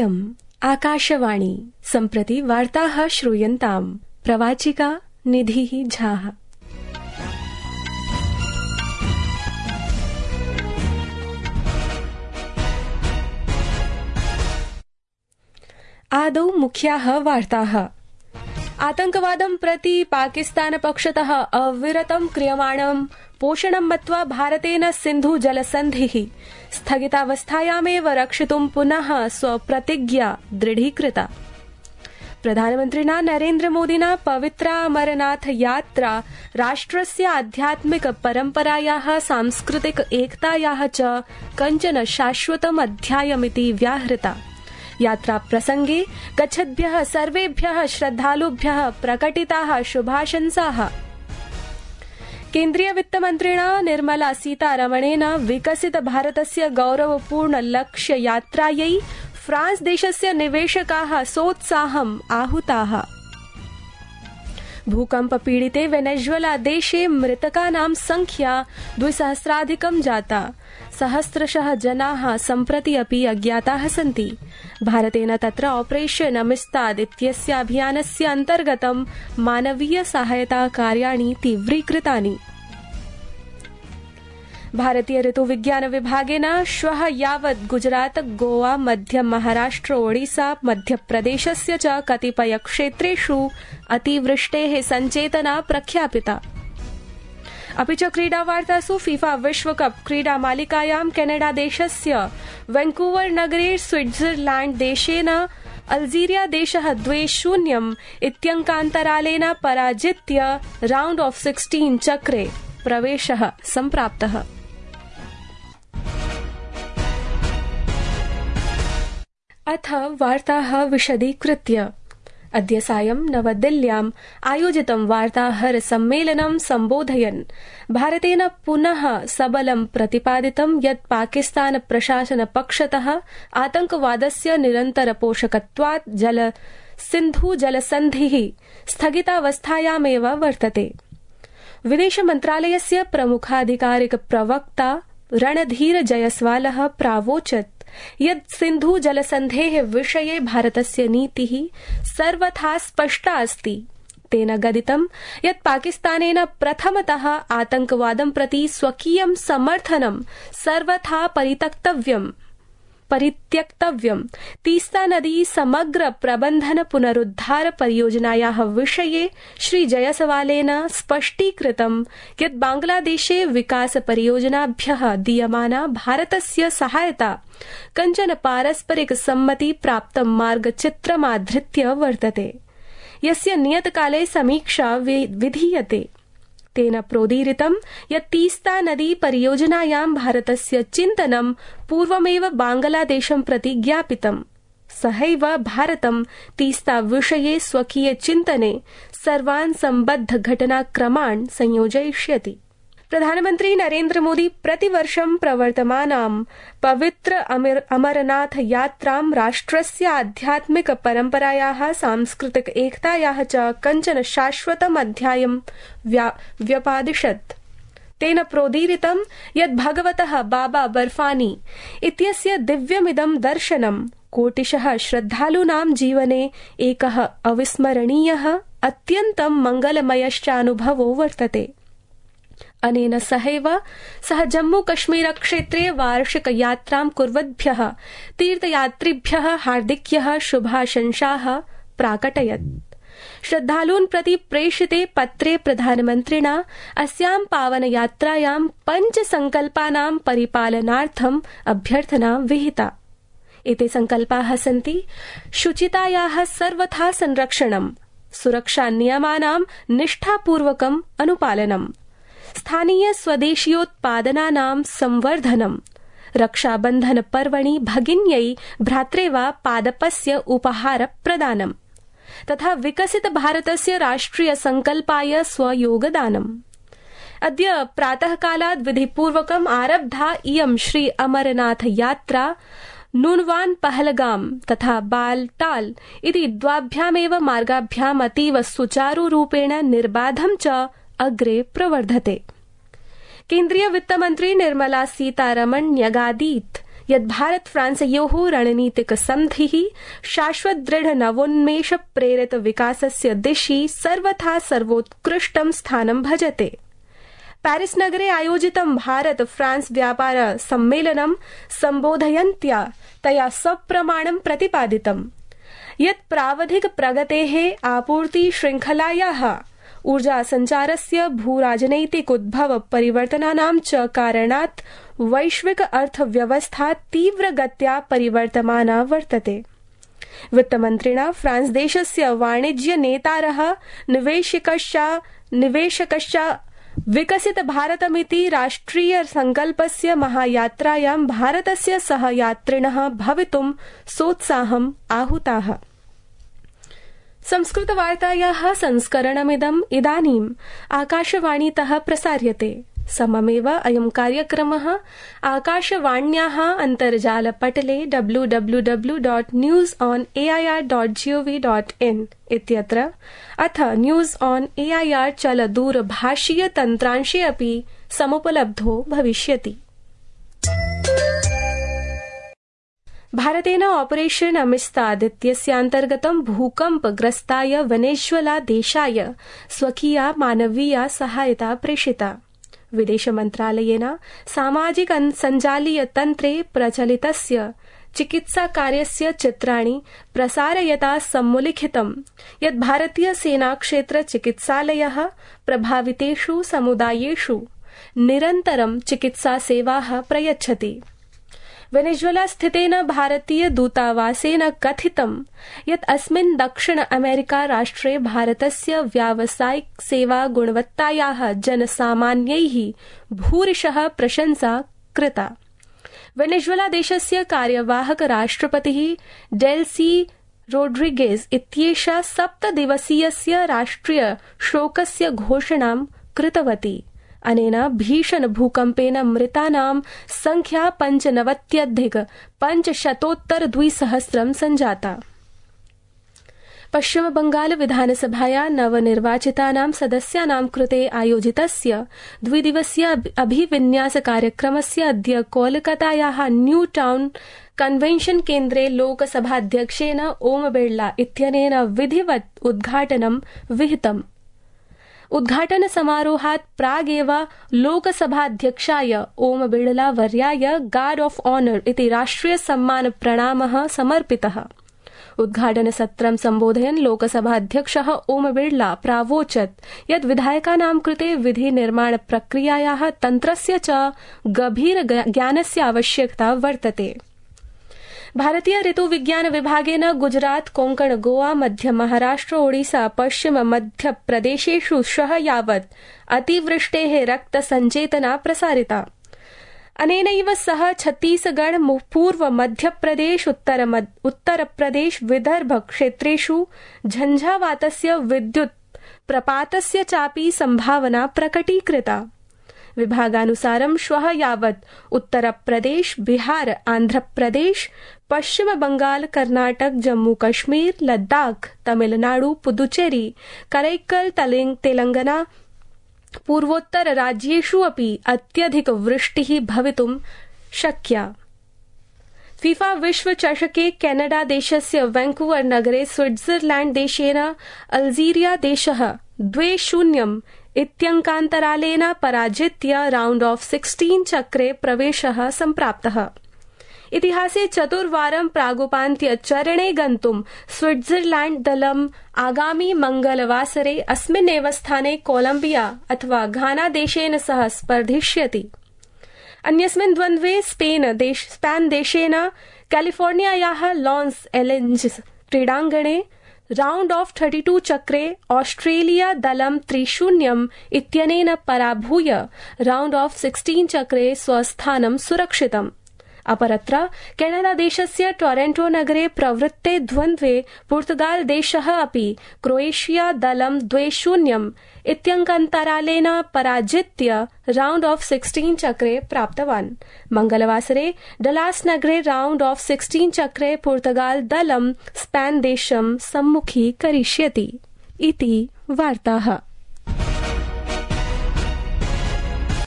इयम् आकाशवाणी सम्प्रति वार्ताः श्रूयन्ताम्। प्रवाचिका निधिः झाः। आदौ मुख्याः वार्ताः। आतंकवादं प्रति पाकिस्तान पक्षतः अविरतं क्रियमाणं पोषणं मत्वा भारतेन सिन्धु जलसन्धिः स्थगितावस्थायामेव रक्षितुं पुनः स्वप्रतिज्ञा दृढीकृता। प्रधानमन्त्रिणा नरेन्द्रमोदिना पवित्रा अमरनाथ यात्रा राष्ट्रस्य आध्यात्मिक परम्परायाः सांस्कृतिक एकतायाः च कञ्चन शाश्वतम् अध्यायमिति व्याहृता। यात्रा प्रसंगे गच्छद्भ्यः सर्वेभ्यः श्रद्धालुभ्यः प्रकटिताः शुभाशंसाः। केन्द्रीय वित्तमन्त्रिणा निर्मला सीतारमणेन विकसित भारतस्य गौरवपूर्ण लक्ष्य यात्रायै फ्रांस देशस्य निवेशकाः सोत्साहम् आहुताः। भूकंप पीडिते वेनेजुएला देशे मृतकानां संख्या 2000 जाता। सहस्रशः जनाः सम्प्रति अपि अज्ञाताः सन्ति। भारतेन तत्र ऑपरेशन अमिस्ताद इत्यस्य अभियानस्य अन्तर्गतं मानवीय सहायता कार्याणि तीव्रीकृतानि। भारतीय ऋतुविज्ञान विभागेन श्वः यावत् गुजरात, गोवा, मध्य महाराष्ट्र, ओडिशा, मध्यप्रदेशस्य च कतिपय क्षेत्रेषु अतिवृष्टेः सञ्चेतना प्रख्यापिता। अपि च क्रीडावार्तासु फीफा विश्वकप क्रीडामालिकायां केनेडा देशस्य वैंकूवर नगरे स्विट्जरलैंड देशेन अल्जीरिया देशः 2-0 इत्यङ्कान्तरालेन पराजित्य राउंड ऑफ 16 चक्रे प्रवेशः सम्प्राप्तः। अथ वार्ताः विशदीकृत्य। अद्य सायं नवदिल्ल्याम् आयोजितं वार्ताहर सम्मेलनं सम्बोधयन् भारतेन पुनः सबलं प्रतिपादितं यत् पाकिस्तान प्रशासन पक्षतः आतंकवादस्य निरन्तर पोषकत्वात् सिन्धु जलसन्धिः स्थगितावस्थायामेव वर्तते। विदेश मन्त्रालयस्य प्रमुखाधिकारिक प्रवक्ता रणधीर जयस्वालः प्रावोचत् यत् सिन्धु जलसन्धेः विषये भारतस्य नीतिः सर्वथा स्पष्टा अस्ति। तेन गदितं यत् पाकिस्तानेन प्रथमतः आतंकवादं प्रति स्वकीयं समर्थनं सर्वथा परित्यक्तव्यम्। तीस्ता नदी समग्र प्रबंधन पुनरुद्धार परियोजनायाः विषये श्री जयसवालेन स्पष्टीकृतं यत् बांग्लादेशे विकास परियोजनाभ्यः दीयमाना भारतस्य सहायता कञ्चन पारस्परिक सम्मति प्राप्तं मार्गचित्रमाधृत्य वर्तते, यस्य नियतकाले समीक्षा विधीयते। तेन प्रोदीरितं यत् तीस्ता नदी परियोजनायां भारतस्य चिन्तनं पूर्वमेव बांग्लादेशं प्रति ज्ञापितम्। सहैव भारतं तीस्ता विषये स्वकीय चिन्तने सर्वान् सम्बद्ध घटनाक्रमान् संयोजयिष्यति। प्रधानमन्त्री नरेन्द्र मोदी प्रतिवर्षं प्रवर्तमानां पवित्र अमरनाथ यात्रां राष्ट्रस्य आध्यात्मिक परम्परायाः सांस्कृतिक एकतायाः च कञ्चन शाश्वतम् अध्यायं व्यपादिशत्। तेन प्रोदीरितं यत् भगवतः बाबा बर्फानी इत्यस्य दिव्यमिदं दर्शनं कोटिशः श्रद्धालूनां जीवने एकः अविस्मरणीयः अत्यन्तं मङ्गलमयश्चानुभवो वर्तते। अनेन सहैव सः जम्मू कश्मीर क्षेत्रे वार्षिक यात्रां कुर्वद्भ्यः तीर्थयात्रिभ्यः हार्दिक्यः शुभाशंसाः प्राकटयत्। श्रद्धालून् प्रति प्रेषिते पत्रे प्रधानमन्त्रिणा अस्यां पावनयात्रायां 5 संकल्पानां परिपालनार्थम् अभ्यर्थना विहिता। एते संकल्पाः सन्ति शुचितायाः सर्वथा संरक्षणम्, सुरक्षा नियमानां निष्ठापूर्वकम् अनुपालनम्, स्थानीय स्वदेशीयोत्पादनानां संवर्धनम्, रक्षाबन्धन पर्वणि भगिन्यै भ्रात्रे वा पादपस्य उपहार प्रदानम् तथा विकसित भारतस्य राष्ट्रिय संकल्पाय स्वयोगदानम्। अद्य प्रातःकालात् विधिपूर्वकम् आरब्धा इयं श्री अमरनाथ यात्रा नूनवान पहलगाम तथा बालटाल इति द्वाभ्यामेव मार्गाभ्याम् अतीव सुचारुरूपेण निर्बाधं च अग्रे प्रवर्धते। केन्द्रीय वित्तमन्त्री निर्मला सीतारमण न्यगादीत् यत् भारत फ्रांसयोः रणनीतिक सन्धिः शाश्वत दृढ नवोन्मेष प्रेरित विकासस्य दिशि सर्वथा सर्वोत्कृष्टं स्थानं भजते। पेरिस नगरे आयोजितं भारत फ्रांस व्यापार सम्मेलनं सम्बोधयन्त्या तया सप्रमाणं प्रतिपादितम् यत् प्रावधिक प्रगतेः आपूर्ति श्रृंखलायाः ऊर्जा संचारस्य भूराजनैतिक उद्भव परिवर्तनानां च कारणात् वैश्विक अर्थव्यवस्था तीव्रगत्या परिवर्तमाना वर्तते। वित्तमन्त्रिणा फ्रांस देशस्य वाणिज्य नेतारः निवेशकश्च विकसित भारतमिति राष्ट्रिय संकल्पस्य महायात्रायां भारतस्य सहयात्रिणः भवितुं सोत्साहम् आहुताः। संस्कृतवार्तायाः संस्करणमिदम् इदानीम् आकाशवाणीतः प्रसार्यते। सममेव अयं कार्यक्रमः आकाशवाण्याः अन्तर्जालपटले www.newsonair.gov.in इत्यत्र अथ न्यूज़ ऑन एआईआर चलदूरभाषीय तन्त्रांशे अपि समुपलब्धो भविष्यति। भारतेन ऑपरेशन अमिस्ताद इत्यस्यान्तर्गतं भूकम्पग्रस्ताय वेनेजुएला देशाय स्वकीया मानवीया सहायता प्रेषिता। विदेश मन्त्रालयेन सामाजिक सञ्जालीय तन्त्रे प्रचलितस्य चिकित्सा कार्यस्य चित्राणि प्रसारयता सम्मुलिखितं यत् भारतीय सेना क्षेत्र चिकित्सालयः प्रभावितेषु समुदायेषु निरन्तरं चिकित्सा सेवाः प्रयच्छति। वेनेजुएला स्थितेन भारतीय दूतावासेन कथितं यत् अस्मिन् दक्षिण अमेरिका राष्ट्रे भारतस्य व्यावसायिक सेवा गुणवत्तायाः जनसामान्यैः भूरिशः प्रशंसा कृता। वेनेजुएला देशस्य कार्यवाहक राष्ट्रपतिः डेल्सी रोड्रिगेज इत्येषा 7 दिवसीयस्य राष्ट्रिय शोकस्य घोषणां कृतवती। अनेन भीषण भूकम्पेन मृतानां संख्या 95,500 संजाता। पश्चिम बंगाल विधानसभाया नवनिर्वाचितानां सदस्यानां कृते आयोजितस्य द्विदिवसीय अभिविन्यास कार्यक्रमस्य अद्य कोलकातायाः न्यू टाउन कन्वेन्शन केन्द्रे लोकसभाध्यक्षेण ओम बिड़ला इत्यनेन विधिवत् उद्घाटनं विहितम्। उद्घाटन समारोहात् प्रागेव लोकसभाध्यक्षाय Om Birla वर्याय guard of honour इति राष्ट्रिय सम्मान प्रणामः समर्पितः। उद्घाटन सत्रं सम्बोधयन् लोकसभाध्यक्षः ओम बिड़ला प्रावोचत् यत् विधायकानां कृते विधि निर्माण प्रक्रियायाः तन्त्रस्य च गभीर ज्ञानस्य आवश्यकता वर्तते। भारतीय ऋतु विज्ञान विभागेन गुजरात कोंकण गोवा मध्य महाराष्ट्र ओडिशा पश्चिम मध्य प्रदेशेषु श्वः यावत् अतिवृष्टेः रक्त संचेतना प्रसारिता। अनेनैव सह छत्तीसगढ़ पूर्व मध्यप्रदेश उत्तरप्रदेश विदर्भ क्षेत्रेषु झंझावातस्य विद्युत् प्रपातस्य चापि संभावना प्रकटीकृता। विभागानुसारं श्वः यावत् उत्तरप्रदेश बिहार आन्ध्रप्रदेश पश्चिम बंगाल कर्नाटक जम्मू कश्मीर लद्दाख तमिलनाडु पुदुचेरी करैक्कल तेलंगाना पूर्वोत्तर राज्येषु अपि अत्यधिक वृष्टिः भवितुं शक्या। फीफा विश्व चषके कैनडा देशस्य वैंकूवर नगरे स्विट्जरलैंड देशेन अल्जीरिया देशः 2-0 इत्यङ्कान्तरालेन पराजित्य राउंड ऑफ 16 चक्रे प्रवेशः सम्प्राप्तः। इतिहासे चतुर्वारं प्रागुपान्त्य चरणे गन्तुं स्विट्जरलैंड दलम् आगामी मंगलवासरे अस्मिन्नेव स्थाने कोलंबिया अथवा घाना देशेन सह स्पर्धिष्यति। अन्यस्मिन् द्वन्द्वे स्पेन देशेन कैलिफोर्नियायाः लॉस एंजेलिस क्रीडाङ्गणे राउंड ऑफ 32 चक्रे ऑस्ट्रेलिया दलं 3-0 इत्यनेन पराभूय राउंड ऑफ 16 चक्रे स्वस्थानं सुरक्षितम्। अपरत्र कैनडा देशस्य टोरंटो नगरे प्रवृत्ते द्वन्द्वे पुर्तगाल देशः अपि क्रोएशिया दलं 2-0 इत्यङ्कान्तरालेन पराजित्य राउंड ऑफ 16 चक्रे प्राप्तवान्। मंगलवासरे डलास नगरे राउंड ऑफ 16 चक्रे पुर्तगाल दलं स्पेन देशं सम्मुखीकरिष्यति। इति वार्ताः।